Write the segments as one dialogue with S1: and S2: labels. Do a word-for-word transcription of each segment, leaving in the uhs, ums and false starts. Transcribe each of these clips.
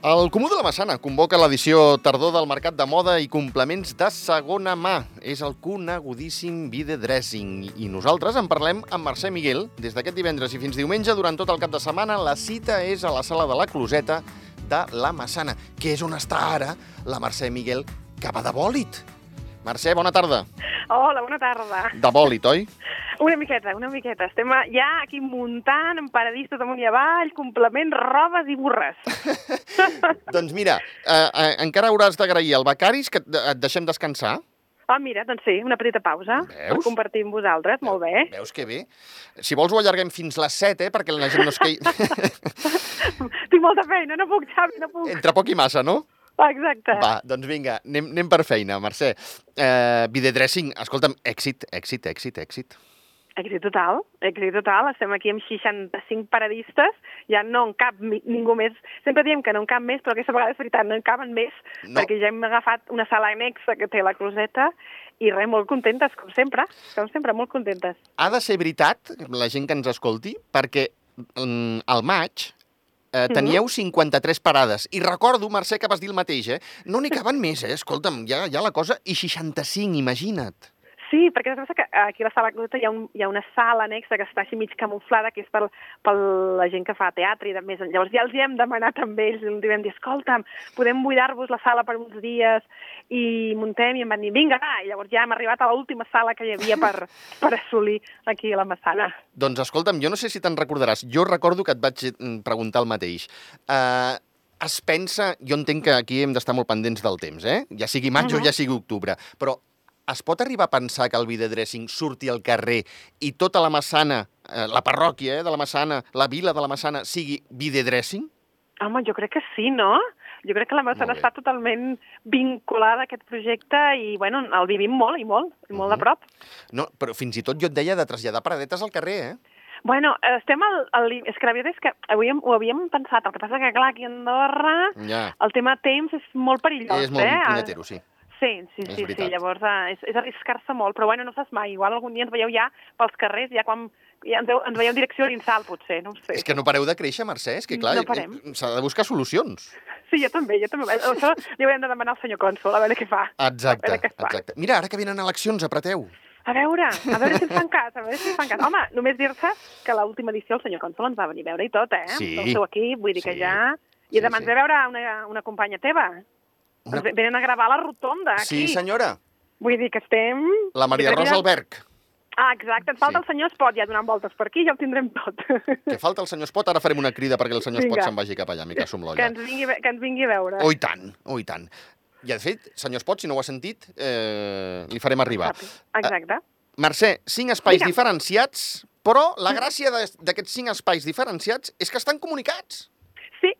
S1: El Comú de la Massana convoca l'edició tardor del Mercat de Moda i Complements de segona mà. És el conegudíssim Vide Dressing. I nosaltres en parlem amb Mercè Miguel. Des d'aquest divendres i fins diumenge, durant tot el cap de setmana, la cita és a la sala de la Closeta de la Massana, que és on està ara la Mercè Miguel, que va de bòlit. Mercè, bona tarda.
S2: Hola, bona tarda.
S1: De bòlit, oi?
S2: Una miqueta, una miqueta. Estem ja aquí muntant, en paradistes amunt i avall, complements, robes i burres.
S1: Doncs mira, eh, eh, encara hauràs d'agrair al becaris que et, et deixem descansar.
S2: Ah, mira, doncs sí, una petita pausa.
S1: Veus?
S2: Per compartir amb vosaltres, molt bé.
S1: Veus que bé? Si vols ho allarguem fins les set, eh, perquè la gent no es quei...
S2: Tinc molta feina, no puc, Xavi, no puc.
S1: Entre poc i massa, no?
S2: Exacte.
S1: Va, doncs vinga, anem, anem per feina, Mercè. Eh, Vide Dressing, escolta'm, èxit, èxit, èxit, èxit.
S2: Èxit total, èxit total. Estem aquí amb seixanta-cinc paradistes, ja no en cap mi- ningú més. Sempre diem que no en cap més, però aquesta vegada és veritat, no en caben més,
S1: No.
S2: perquè ja hem agafat una sala anexa que té la Closeta i res, molt contentes, com sempre, com sempre, molt contentes.
S1: Ha de ser veritat, la gent que ens escolti, perquè mm, al maig eh, teníeu cinquanta-tres parades. I recordo, Mercè, que vas dir el mateix, eh? No n'hi caben més, eh? Escolta'm, ja, ja la cosa... I seixanta-cinc, imagina't.
S2: Sí, perquè es que aquí a la sala Closeta hi ha, un, hi ha una sala anexa que està així mig camuflada, que és per, per la gent que fa teatre i de més. Llavors ja els hi hem demanat amb ells, i els vam dir, escolta'm, podem buidar-vos la sala per uns dies i muntem, i em van dir, vinga, va, i llavors ja hem arribat a l'última sala que hi havia per, per assolir aquí a la Massana.
S1: Doncs escolta'm, jo no sé si te'n recordaràs, jo recordo que et vaig mm, preguntar el mateix. Uh, es pensa, jo entenc que aquí hem d'estar molt pendents del temps, eh? Ja sigui maig uh -huh. o ja sigui octubre, però es pot arribar a pensar que el Vide Dressing surti al carrer i tota la Massana, eh, la parròquia eh, de la Massana, la vila de la Massana, sigui Vide Dressing?
S2: Home, jo crec que sí, no? Jo crec que la Massana està totalment vinculada a aquest projecte i, bueno, el vivim molt i molt, i molt uh -huh. de prop.
S1: No, però fins i tot jo et deia de traslladar paradetes al carrer, eh?
S2: Bueno, estem al... al és que la veritat és que havíem, ho havíem pensat, el que passa que, clar, aquí a Andorra
S1: Ja.
S2: el tema temps és molt perillós,
S1: És molt
S2: eh?
S1: punyetero, sí.
S2: Sí, sí,
S1: És
S2: sí,
S1: veritat.
S2: sí, llavors eh, és, és arriscar-se molt, però bueno, no saps mai, igual algun dia ens veieu ja pels carrers, ja quan ja ens, veu, ens veieu en direcció a l'Insal, potser, no ho sé.
S1: És que no pareu de créixer, Mercè, és que clar,
S2: No parem.
S1: eh, s'ha de buscar solucions.
S2: Sí, jo també, jo també. Això li haurem de demanar al senyor cònsol, a veure què fa.
S1: Exacte,
S2: A veure què fa.
S1: exacte. Mira, ara que venen eleccions, apreteu.
S2: A veure, a veure si ens fan cas, a veure si ens fan cas. Home, només dir-se que a l'última edició el senyor cònsol ens va venir a veure i tot, eh?
S1: Sí.
S2: El seu equip, vull dir que
S1: Sí.
S2: ja...
S1: Sí,
S2: I demà
S1: sí.
S2: ens ve a veure una, una companya teva.
S1: Una-
S2: Ens venen a gravar la rotonda, aquí.
S1: Sí, senyora.
S2: Vull dir que estem...
S1: La Maria
S2: Jo crec que
S1: Rosa
S2: ja-
S1: Alberg.
S2: Ah, exacte, ens falta
S1: Sí.
S2: el senyor Espot ja donant voltes per aquí, ja ho tindrem tot.
S1: Que falta el senyor Espot, ara farem una crida perquè el senyor Espot
S2: Vinga.
S1: se'n vagi cap allà, a micar-s'ho amb
S2: que,
S1: l'olla.
S2: ens vingui, a ve- que ens vingui a veure.
S1: Oh, i tant, oh, i tant. I, de fet, senyor Espot, si no ho ha sentit, eh, li farem arribar.
S2: Exacte.
S1: Eh, Mercè, cinc espais
S2: Digue'm.
S1: diferenciats, però la gràcia de- d'aquests cinc espais diferenciats és que estan comunicats.
S2: Sí,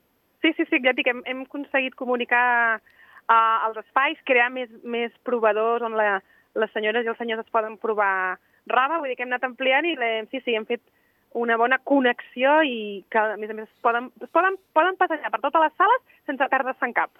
S2: sí, sí, sí, ja et dic, hem, hem aconseguit comunicar uh, els espais, crear més, més provadors on la, les senyores i els senyors es poden provar roba, vull dir que hem anat ampliant i l'hem- sí, sí, hem fet una bona connexió i que, a més a més, es poden, es poden, poden passejar per totes les sales sense perdre-se en cap.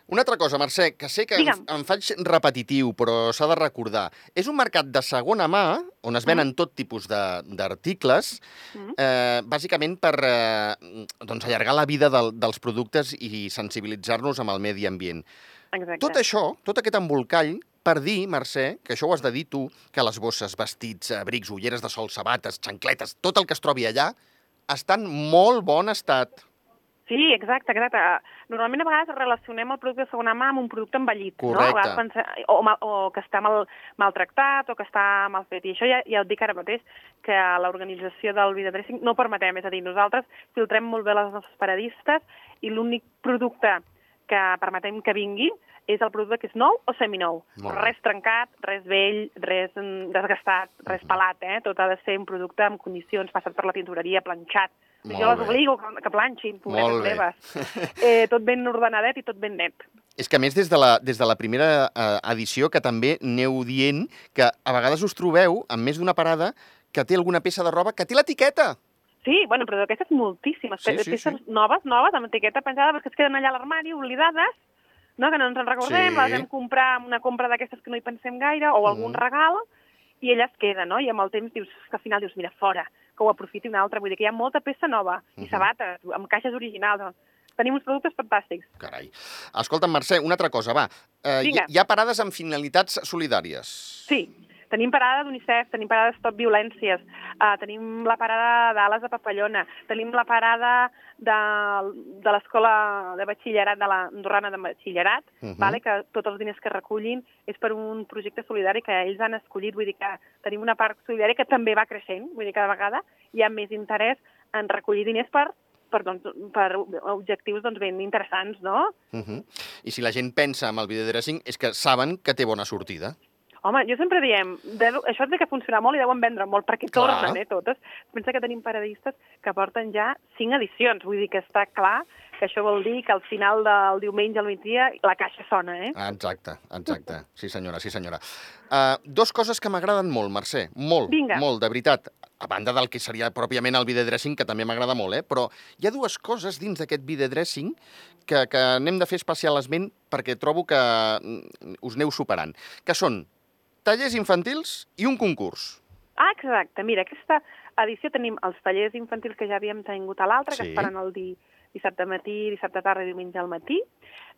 S1: Una altra cosa, Mercè, que sé que em,
S2: Digue'm.
S1: em faig repetitiu, però s'ha de recordar. És un mercat de segona mà, on es venen tot tipus de- d'articles,
S2: Mm.
S1: eh, bàsicament per eh, doncs allargar la vida del, dels productes i sensibilitzar-nos amb el medi ambient.
S2: Exacte.
S1: Tot això, tot aquest embolcall, per dir, Mercè, que això ho has de dir tu, que les bosses, vestits, abrics, ulleres de sol, sabates, xancletes, tot el que es trobi allà, està en molt bon estat.
S2: Sí, exacte, exacte. Normalment a vegades relacionem el producte de segona mà amb un producte envellit,
S1: Correcte.
S2: no? A vegades pensem, o, mal, o que està mal, maltractat o que està mal fet. I això ja, ja ho dic ara mateix, que l'organització del Vide Dressing no permetem, és a dir, nosaltres filtrem molt bé les nostres paradistes i l'únic producte que permetem que vingui és el producte que és nou o seminou.
S1: Molt bé.
S2: Res trencat, res vell, res mm, desgastat, res pelat, eh? Tot ha de ser un producte en condicions, passat per la tintoreria, planxat.
S1: Molt
S2: Jo les
S1: bé.
S2: obligo que, que planxin, pobretes
S1: Molt bé.
S2: meves. Eh, tot ben ordenadet i tot ben net.
S1: És que, a més, des de la, des de la primera eh, edició, que també aneu dient que a vegades us trobeu, en més d'una parada, que té alguna peça de roba que té l'etiqueta.
S2: Sí, bueno, però d'aquestes moltíssimes.
S1: Sí,
S2: pe-
S1: sí,
S2: peces
S1: sí.
S2: noves, noves, amb etiqueta penjada, perquè es queden allà a l'armari, oblidades, no? Que no ens en recordem,
S1: Sí.
S2: les vam comprar amb una compra d'aquestes que no hi pensem gaire, o algun
S1: Mm.
S2: regal, i ella es queda, no? I amb el temps dius, que al final dius, mira, fora, que ho aprofiti una altra. Vull dir que hi ha molta peça nova, i
S1: Mhm.
S2: sabates, amb caixes originals. tenim uns productes fantàstics.
S1: Carai. Escolta'm, Mercè, una altra cosa, va. Eh, hi,
S2: Vinga.
S1: hi ha parades amb finalitats solidàries.
S2: Sí, tenim parada d'UNICEF, tenim parada de Stop Violències, uh, tenim la parada d'Ales de Papallona, tenim la parada de, de l'escola de batxillerat, de la Andorrana de batxillerat, uh -huh. vale? Que tots els diners que recullin és per un projecte solidari que ells han escollit, vull dir que tenim una part solidària que també va creixent, vull dir que cada vegada hi ha més interès en recollir diners per Per, doncs, per objectius doncs, ben interessants, no?
S1: Uh -huh. I si la gent pensa en el videodressing és que saben que té bona sortida.
S2: Home, jo sempre diem, deu, això té que funcionar molt i deuen vendre molt, perquè tornen, eh, totes. Pensa que tenim paradistes que porten ja cinc edicions, vull dir que està clar que això vol dir que al final del diumenge al migdia la caixa sona, eh?
S1: Exacte, exacte. Sí senyora, sí senyora. Uh, dos coses que m'agraden molt, Mercè, molt,
S2: Vinga.
S1: molt, de veritat. A banda del que seria pròpiament el videodressing, que també m'agrada molt, eh? Però hi ha dues coses dins d'aquest videodressing que, que n'hem de fer especial esment perquè trobo que us aneu superant, que són tallers infantils i un concurs.
S2: Ah, exacte. Mira, aquesta edició tenim els tallers infantils que ja havíem tingut a l'altre,
S1: Sí.
S2: que es faran el di dissabte matí, dissabte tarda i diumenge al matí.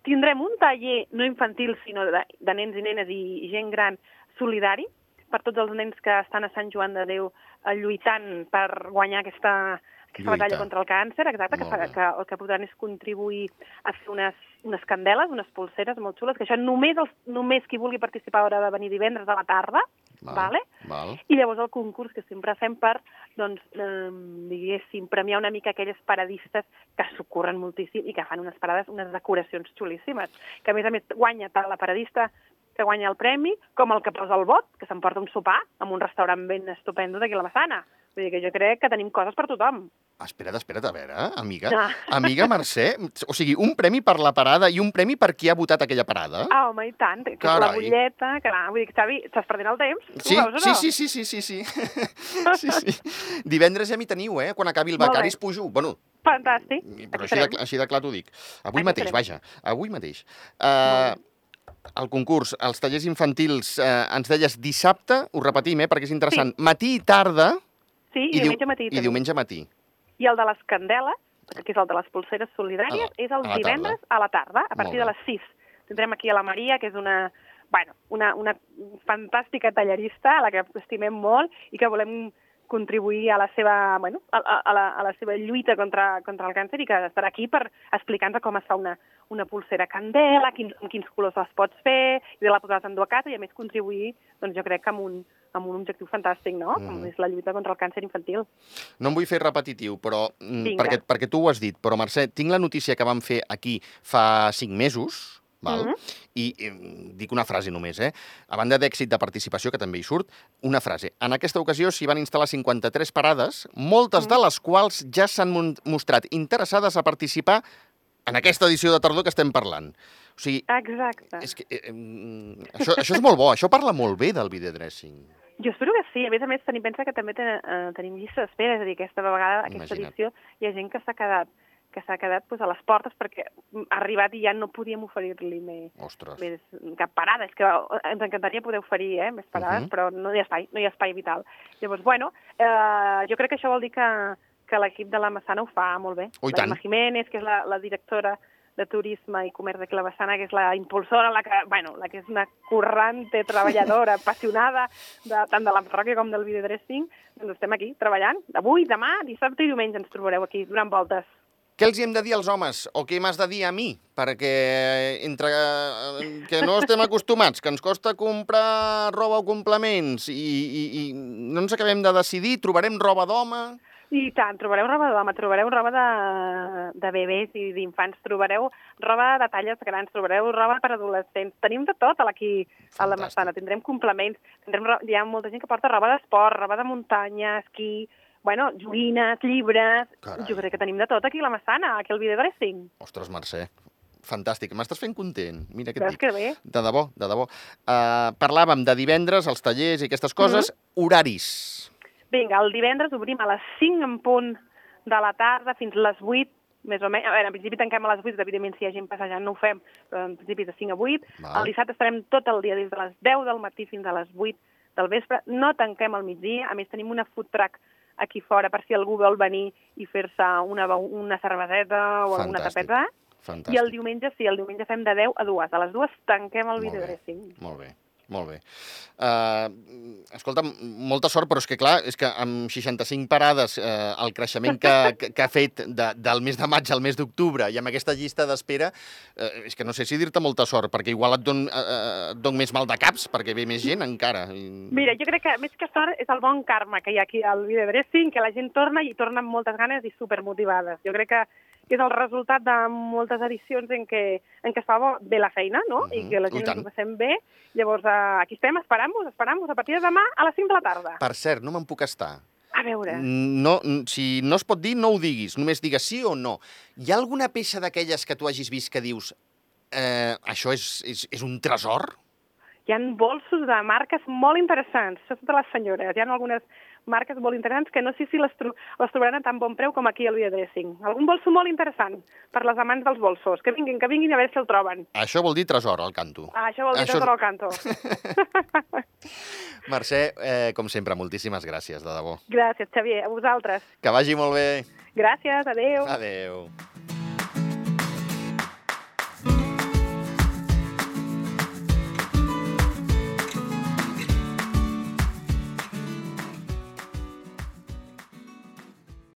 S2: Tindrem un taller no infantil, sinó de, de nens i nenes i gent gran solidari, per tots els nens que estan a Sant Joan de Déu lluitant per guanyar aquesta, aquesta
S1: Lluita.
S2: batalla contra el càncer, exacte, que, fa, que el que podran és contribuir a fer unes, unes candeles, unes polseres molt xules, que això només, els, només qui vulgui participar haurà de venir divendres a la tarda,
S1: Val,
S2: vale?
S1: val.
S2: I llavors el concurs que sempre fem per, doncs, eh, diguéssim, premiar una mica aquelles paradistes que s'ocorren moltíssim i que fan unes parades, unes decoracions xulíssimes, que a més a més guanya tant la paradista que guanya el premi, com el que posa el vot, que s'emporta un sopar en un restaurant ben estupendo d'aquí a la Massana. Vull dir que jo crec que tenim coses per tothom.
S1: Espera't, espera't, a veure, amiga.
S2: Ah.
S1: Amiga Mercè, o sigui, un premi per la parada i un premi per qui ha votat aquella parada?
S2: Ah, home, i tant, que és la
S1: Carai.
S2: butlleta, clar, vull dir, Xavi, estàs perdent el temps? Tu
S1: Sí,
S2: ho veus o
S1: sí,
S2: no?
S1: sí, sí, sí, sí, sí. sí, sí. Divendres ja m'hi teniu, eh? Quan acabi el
S2: Molt bé.
S1: Becaris pujo. Bueno,
S2: Fantàstic.
S1: però
S2: Aquí
S1: així de,
S2: serem.
S1: així de clar t'ho dic. Avui
S2: Aquí
S1: mateix,
S2: serem.
S1: vaja, avui mateix. Uh, el concurs, els tallers infantils, eh, ens deies dissabte, ho repetim, eh, perquè és interessant,
S2: Sí.
S1: matí i tarda
S2: Sí, i,
S1: i, diu-
S2: diumenge matí.
S1: i
S2: també.
S1: diumenge matí.
S2: I el de les candeles, que és el de les polseres solidàries,
S1: A la-
S2: és el
S1: a la
S2: divendres
S1: tarda.
S2: a la tarda, a
S1: Molt
S2: partir
S1: bé.
S2: de les sis. Tindrem aquí a la Maria, que és una, bueno, una, una fantàstica tallerista a la que estimem molt i que volem contribuir a la seva, bueno, a, a, a, la, a la seva lluita contra, contra el càncer i que estarà aquí per explicar-nos com es fa una, una pulsera candela, quins, amb quins colors les pots fer, i de la podràs endur a casa i a més contribuir, doncs jo crec que amb un, amb un objectiu fantàstic, no?
S1: Mhm.
S2: Com és la lluita contra el càncer infantil.
S1: No em vull fer repetitiu, però mm,
S2: Vinga.
S1: perquè, perquè tu ho has dit, però Mercè, tinc la notícia que vam fer aquí fa cinc mesos, val?
S2: Mhm.
S1: I eh, dic una frase només, eh? A banda d'èxit de participació, que també hi surt, una frase. En aquesta ocasió s'hi van instal·lar cinquanta-tres parades, moltes de les quals ja s'han mon- mostrat interessades a participar en aquesta edició de tardor que estem parlant. O sigui,
S2: Exacte.
S1: és que, eh, eh, això, això és molt bo, això parla molt bé del videodressing.
S2: Jo espero que sí. A més a més, tenim, pensa que també ten, eh, tenim llista d'espera, és a dir, aquesta vegada, aquesta
S1: Imagina't.
S2: edició, hi ha gent que s'ha quedat que s'ha quedat pues, a les portes perquè ha arribat i ja no podíem oferir-li més,
S1: Ostres.
S2: més cap parada. És que ens encantaria poder oferir eh, més parades,
S1: Mhm.
S2: però no hi ha espai, no hi ha espai vital. Llavors, bueno, eh, jo crec que això vol dir que, que l'equip de la Massana ho fa molt bé.
S1: Oh, i
S2: la
S1: tant.
S2: Gemma Jiménez, que és la, la directora de Turisme i Comerç de la Massana, que és la impulsora, la que, bueno, la que és una currante, treballadora, apassionada de, tant de la parròquia com del videodressing, doncs estem aquí treballant. Avui, demà, dissabte i diumenge ens trobareu aquí donant voltes.
S1: Què els hi hem de dir als homes? O què m'has de dir a mi? Perquè entre eh, que no estem acostumats, que ens costa comprar roba o complements i, i, i no ens acabem de decidir, trobarem roba d'home...
S2: I tant, trobareu roba d'home, trobareu roba de, de bebès i d'infants, trobareu roba de talles grans, trobareu roba per adolescents. Tenim de tot aquí a la
S1: Fantàstic.
S2: Massana. Tindrem complements, tindrem, ro- hi ha molta gent que porta roba d'esport, roba de muntanya, esquí, bueno, joguines, llibres...
S1: Carai.
S2: Jo crec que tenim de tot aquí a la Massana, aquí al videodressing.
S1: Ostres, Mercè, fantàstic. M'estàs fent content. Mira què et
S2: Veus
S1: dic.
S2: que bé?
S1: De debò, de debò. Uh, parlàvem de divendres, els tallers i aquestes coses. Horaris.
S2: Vinga, el divendres obrim a les cinc en punt de la tarda fins a les vuit, més o menys. A veure, en principi tanquem a les vuit, evidentment si hi ha gent passejant no ho fem, però en principi de cinc a vuit.
S1: Val.
S2: El dissabte estarem tot el dia des de les deu del matí fins a les vuit del vespre. No tanquem al migdia, a més tenim una food truck aquí fora per si algú vol venir i fer-se una, una cerveseta o alguna tapeta.
S1: Fantàstic.
S2: I el diumenge, sí, el diumenge fem de deu a dues. A les dues tanquem el videodressing.
S1: Molt bé, molt bé. Uh, escolta, molta sort, però és que, clar, és que amb seixanta-cinc parades, uh, el creixement que, que, que ha fet de, del mes de maig al mes d'octubre i amb aquesta llista d'espera, uh, és que no sé si dir-te molta sort, perquè igual et don, uh, et don més mal de caps, perquè ve més gent encara.
S2: Mira, jo crec que més que sort és el bon karma que hi ha aquí al videodressing, que la gent torna i torna amb moltes ganes i supermotivades. Jo crec que és el resultat de moltes edicions en què, en què es fa bé la feina, no? Uh-huh. I que la gent ens ho passem bé. Llavors, uh, aquí estem, esperant-vos, esperant-vos a partir de demà a les cinc de la tarda.
S1: Per cert, no me'n puc estar.
S2: A veure...
S1: No, si no es pot dir, no ho diguis. Només digues sí o no. Hi ha alguna peça d'aquelles que tu hagis vist que dius eh, això és, és, és un tresor?
S2: Hi ha bolsos de marques molt interessants. Això són de les senyores. Hi ha algunes marques molt interessants que no sé si les, tro les trobaran a tan bon preu com aquí al videodressing. Algun bolso molt interessant per les amants dels bolsos. Que vinguin, que vinguin a veure si el troben.
S1: Això vol dir tresor, al canto.
S2: Ah, això vol dir això... tresor al canto.
S1: Mercè, eh, com sempre, moltíssimes gràcies, de debò.
S2: Gràcies, Xavier. A vosaltres.
S1: Que vagi molt bé.
S2: Gràcies, adeu.
S1: Adeu.